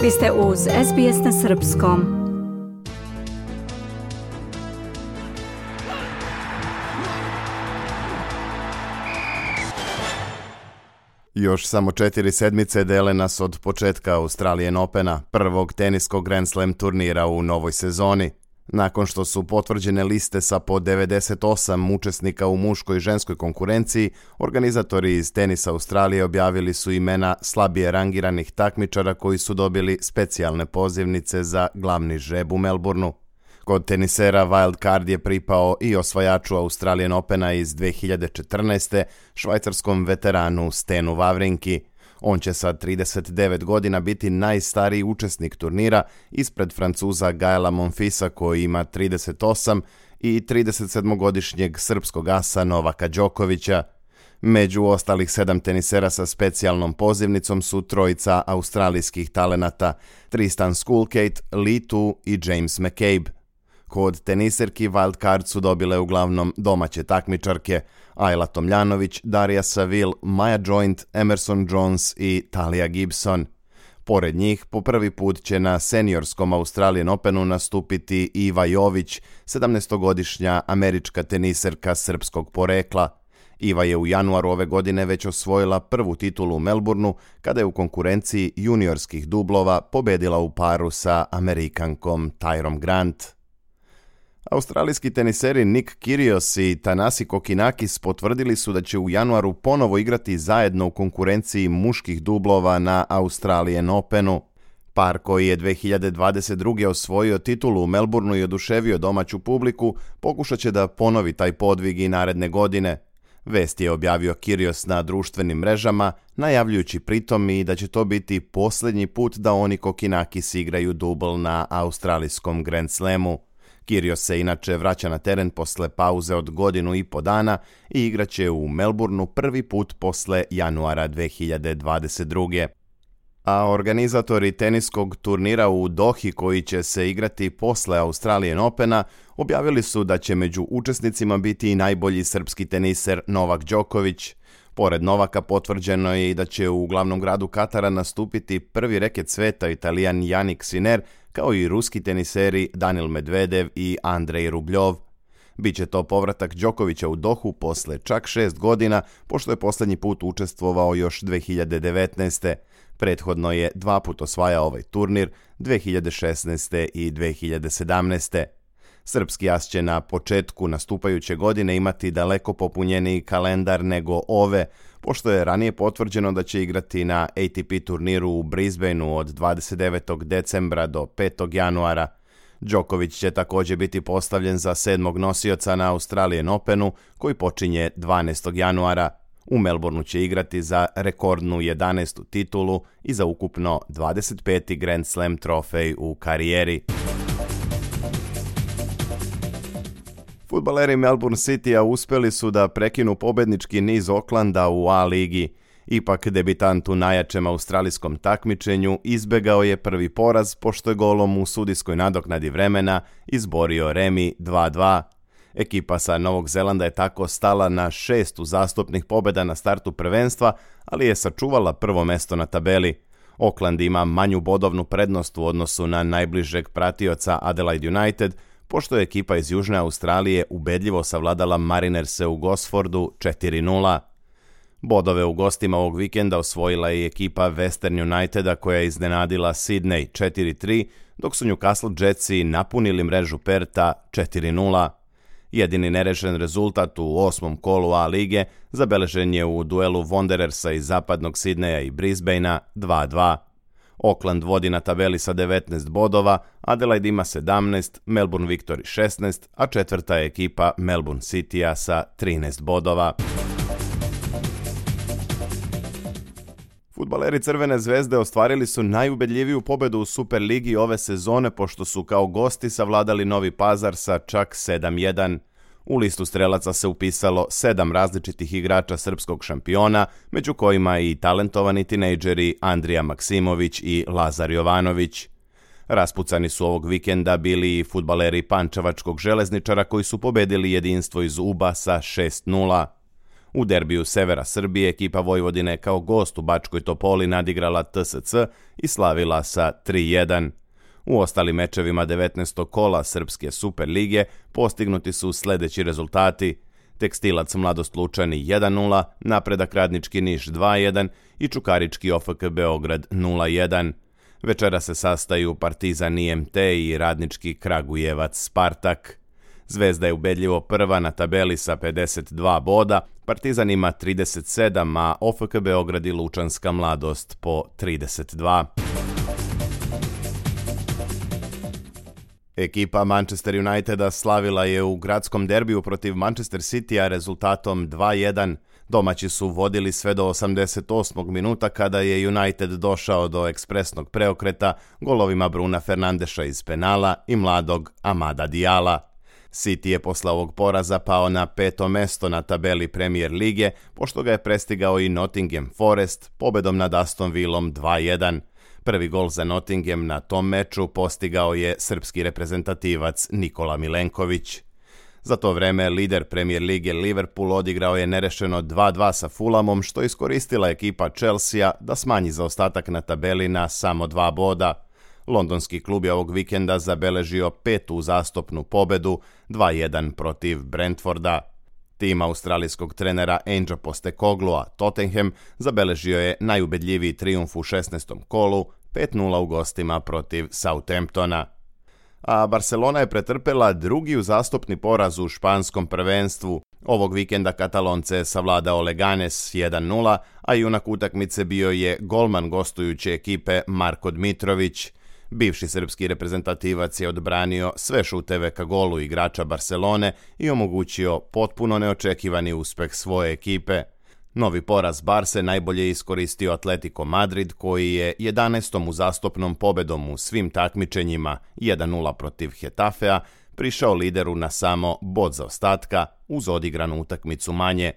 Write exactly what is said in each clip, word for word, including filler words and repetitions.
Vi ste uz S B S na srpskom. Još samo četiri sedmice dele nas od početka Australian Opena, prvog teniskog Grand Slam turnira u novoj sezoni. Nakon što su potvrđene liste sa po devedeset osam učesnika u muškoj i ženskoj konkurenciji, organizatori iz Tenisa Australije objavili su imena slabije rangiranih takmičara koji su dobili specijalne pozivnice za glavni žreb u Melbourneu. Kod tenisera wild card je pripao i osvajaču Australian Opena iz dve hiljade četrnaeste. švajcarskom veteranu Stenu Wawrinki. On će sa trideset devet godina biti najstariji učesnik turnira ispred Francuza Gaela Monfilsa koji ima trideset osam i tridesetsedmogodišnjeg srpskog asa Novaka Đokovića. Među ostalih sedam tenisera sa specijalnom pozivnicom su trojica australijskih talenata Tristan Skulkate, Li Tu i James McCabe. Kod teniserki wild card su dobile uglavnom domaće takmičarke Ajla Tomljanović, Darija Saville, Maja Joint, Emerson Jones i Talia Gibson. Pored njih, po prvi put će na seniorskom Australian Openu nastupiti Iva Jović, sedamnaestogodišnja američka teniserka srpskog porekla. Iva je u januaru ove godine već osvojila prvu titulu u Melbourneu kada je u konkurenciji juniorskih dublova pobedila u paru sa Amerikankom Tyrom Grant. Australijski teniseri Nick Kyrgios i Thanasi Kokkinakis potvrdili su da će u januaru ponovo igrati zajedno u konkurenciji muških dublova na Australian Openu. Par koji je dve hiljade dvadeset druge osvojio titulu u Melbourneu i oduševio domaću publiku, pokušat će da ponovi taj podvig i naredne godine. Vest je objavio Kyrgios na društvenim mrežama, najavljujući pritom i da će to biti posljednji put da oni Kokkinakis igraju dubl na australijskom Grand Slamu. Kyrgios se inače vraća na teren posle pauze od godinu i po dana i igraće u Melbourneu prvi put posle januara dve hiljade dvadeset druge. A organizatori teniskog turnira u Dohi koji će se igrati posle Australian Opena objavili su da će među učesnicima biti i najbolji srpski teniser Novak Đoković. Pored Novaka potvrđeno je i da će u glavnom gradu Katara nastupiti prvi reket sveta Italijan Jannik Sinner, kao i ruski teniseri Danil Medvedev i Andrej Rubljov. Biće to povratak Đokovića u Dohu posle čak šest godina, pošto je posljednji put učestvovao još dve hiljade devetnaeste. Prethodno je dva put osvajao ovaj turnir, dve hiljade šesnaeste i dve hiljade sedamnaeste. Srpski as će na početku nastupajuće godine imati daleko popunjeniji kalendar nego ove, pošto je ranije potvrđeno da će igrati na A T P turniru u Brisbaneu od dvadeset devetog decembra do petog januara. Đoković će također biti postavljen za sedmog nosioca na Australian Openu koji počinje dvanaestog januara. U Melbourneu će igrati za rekordnu jedanaestu titulu i za ukupno dvadeset peti Grand Slam trofej u karijeri. Fudbaleri Melbourne Citya uspjeli su da prekinu pobednički niz Aucklanda u A ligi. Ipak debitant u najjačem australijskom takmičenju izbegao je prvi poraz pošto je golom u sudijskoj nadoknadi vremena izborio remi dva dva. Ekipa sa Novog Zelanda je tako stala na šest uzastopnih pobjeda na startu prvenstva, ali je sačuvala prvo mesto na tabeli. Auckland ima manju bodovnu prednost u odnosu na najbližeg pratioca Adelaide United, pošto je ekipa iz Južne Australije ubedljivo savladala Marinerse u Gosfordu četiri nula. Bodove u gostima ovog vikenda osvojila je ekipa Western Uniteda koja je iznenadila Sydney četiri tri, dok su Newcastle Jetsi napunili mrežu Perta četiri nula. Jedini nerešen rezultat u osmom kolu A lige zabeležen je u duelu Wanderersa iz zapadnog Sidneja i Brisbanea dva dva. Auckland vodi na tabeli sa devetnaest bodova, Adelaide ima sedamnaest, Melbourne Victory šesnaest, a četvrta je ekipa Melbourne Citya sa trinaest bodova. Fudbaleri Crvene zvezde ostvarili su najubedljiviju pobedu u Superligi ove sezone pošto su kao gosti savladali Novi Pazar sa čak sedam jedan. U listu strelaca se upisalo sedam različitih igrača srpskog šampiona, među kojima i talentovani tinejdžeri Andrija Maksimović i Lazar Jovanović. Raspucani su ovog vikenda bili i fudbaleri Pančevačkog Železničara koji su pobedili jedinstvo iz Uba sa šest nula. U derbiju severa Srbije ekipa Vojvodine kao gost u Bačkoj Topoli nadigrala T S C i slavila sa tri jedan. U ostalim mečevima devetnaestog kola Srpske Super lige postignuti su sledeći rezultati: Tekstilac Mladost Lučani jedan nula, Napredak Radnički Niš dva jedan i Čukarički O F K Beograd nula jedan. Večera se sastaju Partizan I M T i Radnički Kragujevac Spartak. Zvezda je ubedljivo prva na tabeli sa pedeset dva boda, Partizan ima trideset sedam, a O F K Beograd i Lučanska Mladost po trideset dva. Ekipa Manchester Uniteda slavila je u gradskom derbiju protiv Manchester Citya rezultatom dva jedan. Domaći su vodili sve do osamdeset osmog minuta kada je United došao do ekspresnog preokreta golovima Bruna Fernandeša iz penala i mladog Amada Dijala. City je posle ovog poraza pao na peto mesto na tabeli Premier lige, pošto ga je prestigao i Nottingham Forest pobedom nad Aston Villom dva jedan. Prvi gol za Nottingham na tom meču postigao je srpski reprezentativac Nikola Milenković. Za to vreme lider Premier lige Liverpool odigrao je nerešeno dva dva sa Fulhamom, što iskoristila ekipa Chelsea da smanji zaostatak na tabeli na samo dva boda. Londonski klub je ovog vikenda zabeležio petu uzastopnu pobedu dva jedan protiv Brentforda. Tim australijskog trenera Ange Postecogloua Tottenham zabeležio je najubedljiviji trijumf u šesnaestom kolu, pet nula u gostima protiv Southamptona. A Barcelona je pretrpela drugi uzastopni poraz u španskom prvenstvu. Ovog vikenda Katalonce je savladao Leganes jedan nula, a junak utakmice bio je golman gostujuće ekipe Marko Dmitrović. Bivši srpski reprezentativac je odbranio sve šuteve ka golu igrača Barcelone i omogućio potpuno neočekivani uspeh svoje ekipe. Novi poraz Barse najbolje iskoristio Atletico Madrid, koji je jedanaestom uzastopnom pobedom u svim takmičenjima jedan nula protiv Hetafea prišao lideru na samo bod zaostatka uz odigranu utakmicu manje.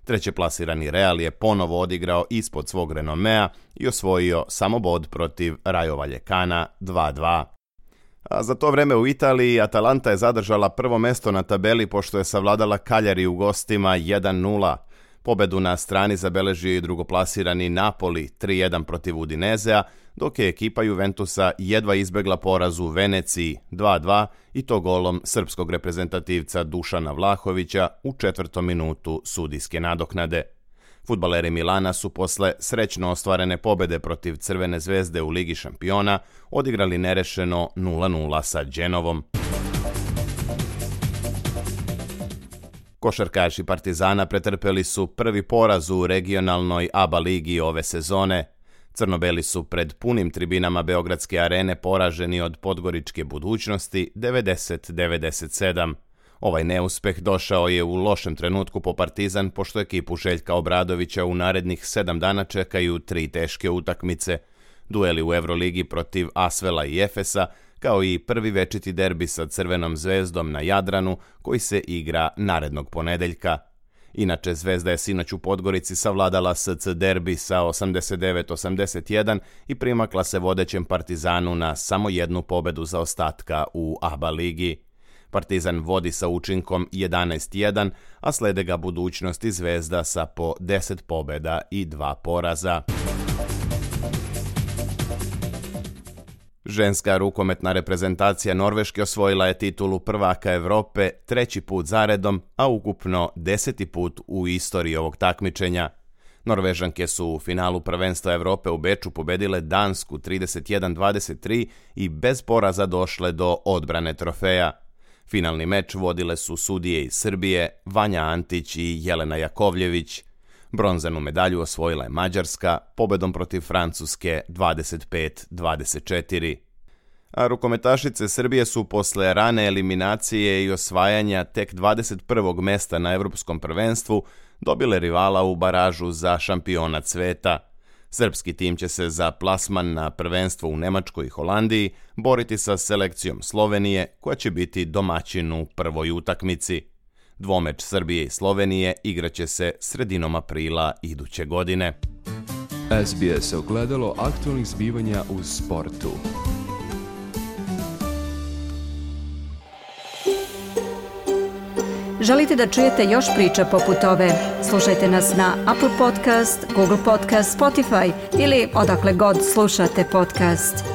Trećeplasirani Real je ponovo odigrao ispod svog renomea i osvojio samo bod protiv Rayo Vallecana dva dva. A za to vreme u Italiji Atalanta je zadržala prvo mesto na tabeli pošto je savladala Cagliari u gostima jedan nula. Pobedu na strani zabeležio i drugoplasirani Napoli tri jedan protiv Udinezea, dok je ekipa Juventusa jedva izbegla poraz u Veneciji dva dva i to golom srpskog reprezentativca Dušana Vlahovića u četvrtom minutu sudijske nadoknade. Fudbaleri Milana su posle srećno ostvarene pobede protiv Crvene zvezde u Ligi šampiona odigrali nerešeno nula nula sa Genovom. Košarkaši Partizana pretrpeli su prvi poraz u regionalnoj A B A ligi ove sezone. Crnobeli su pred punim tribinama Beogradske arene poraženi od Podgoričke Budućnosti devedeset devedeset sedam. Ovaj neuspeh došao je u lošem trenutku po Partizan, pošto ekipu Željka Obradovića u narednih sedam dana čekaju tri teške utakmice. Dueli u Euroligi protiv Asvela i Efesa, kao i prvi večiti derbi sa Crvenom zvezdom na Jadranu, koji se igra narednog ponedeljka. Inače, Zvezda je sinoć u Podgorici savladala S C derbi sa osamdeset devet osamdeset jedan i primakla se vodećem Partizanu na samo jednu pobedu zaostatka u A B A ligi. Partizan vodi sa učinkom jedanaest jedan, a slede ga Budućnost i Zvezda sa po deset pobeda i dva poraza. Ženska rukometna reprezentacija Norveške osvojila je titulu prvaka Evrope treći put zaredom, a ukupno deseti put u istoriji ovog takmičenja. Norvežanke su u finalu prvenstva Evrope u Beču pobedile Dansku trideset jedan dvadeset tri i bez poraza došle do odbrane trofeja. Finalni meč vodile su sudije iz Srbije, Vanja Antić i Jelena Jakovljević. Bronzanu medalju osvojila je Mađarska pobedom protiv Francuske dvadeset pet dvadeset četiri. A rukometašice Srbije su posle rane eliminacije i osvajanja tek dvadeset prvog mesta na Evropskom prvenstvu dobile rivala u baražu za šampionat sveta. Srpski tim će se za plasman na prvenstvo u Nemačkoj i Holandiji boriti sa selekcijom Slovenije, koja će biti domaćin u prvoj utakmici. Dvomeč Srbije i Slovenije igraće se sredinom aprila iduće godine. S B S ogledalo aktualnih zbivanja u sportu. Želite da čujete još priča poput ove? Slušajte nas na Apple Podcast, Google Podcast, Spotify ili odakle god slušate podcast.